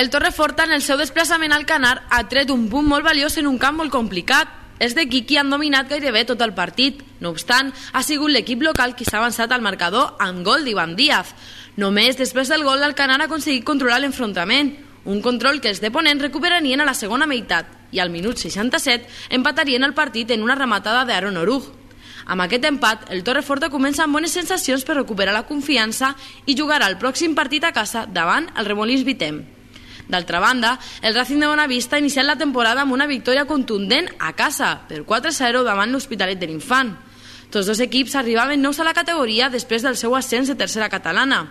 El Torreforta, en el seu desplaçament al Canar, ha tret un punt molt valiós en un camp molt complicat. Els de Quiqui han dominat gairebé tot el partit. No obstant, ha sigut l'equip local qui s'ha avançat al marcador amb gol d'Ivan Díaz. Només després del gol, l'Alcanar ha aconseguit controlar l'enfrontament. Un control que els de Ponent recuperarien a la segona meitat i al minut 67 empatarien el partit en una rematada d'Aaron Oruj. Amb aquest empat, el Torreforta comença amb bones sensacions per recuperar la confiança i jugarà el pròxim partit a casa davant el Remolins Vitem. D'altra banda, el Racing de Bonavista ha iniciat la temporada amb una victòria contundent a casa, per 4-0 davant l'Hospitalet de l'Infant. Tots dos equips arribaven nous a la categoria després del seu ascens de tercera catalana.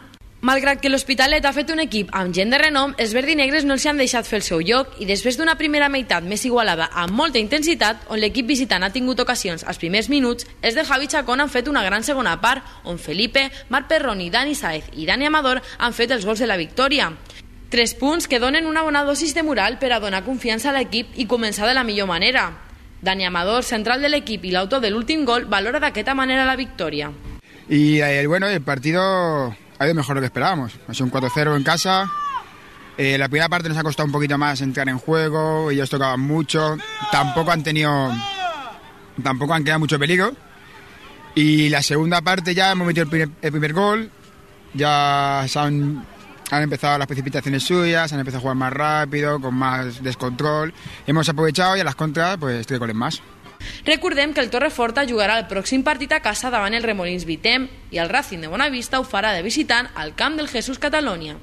Malgrat que l'Hospitalet ha fet un equip amb gent de renom, els verdinegres no els han deixat fer el seu lloc i després d'una primera meitat més igualada amb molta intensitat, on l'equip visitant ha tingut ocasions als primers minuts, els de Javi Chacón han fet una gran segona part, on Felipe, Marc Perroni, Dani Sáez i Dani Amador han fet els gols de la victòria. 3 punts que donen una bona dosis de moral per a donar confiança a l'equip i començar de la millor manera. Dani Amador, central de l'equip i l'autor de l'últim gol, valora d'aquesta manera la victòria. Y el partido ha ido mejor de lo que esperábamos. Ha sido un 4-0 en casa. La primera parte nos ha costado un poquito más entrar en juego, ellos tocaban mucho, tampoco han creado mucho peligro. Y la segunda parte ya hemos metido el primer gol, ya han empezado las precipitaciones suyas, han empezado a jugar más rápido, con más descontrol. Hemos aprovechado y a las contras, pues 3 goles más. Recordem que el Torreforta jugarà el pròxim partit a casa davant el Remolins Vitem i el Racing de Bonavista ho farà de visitant al camp del Jesús Catalunya.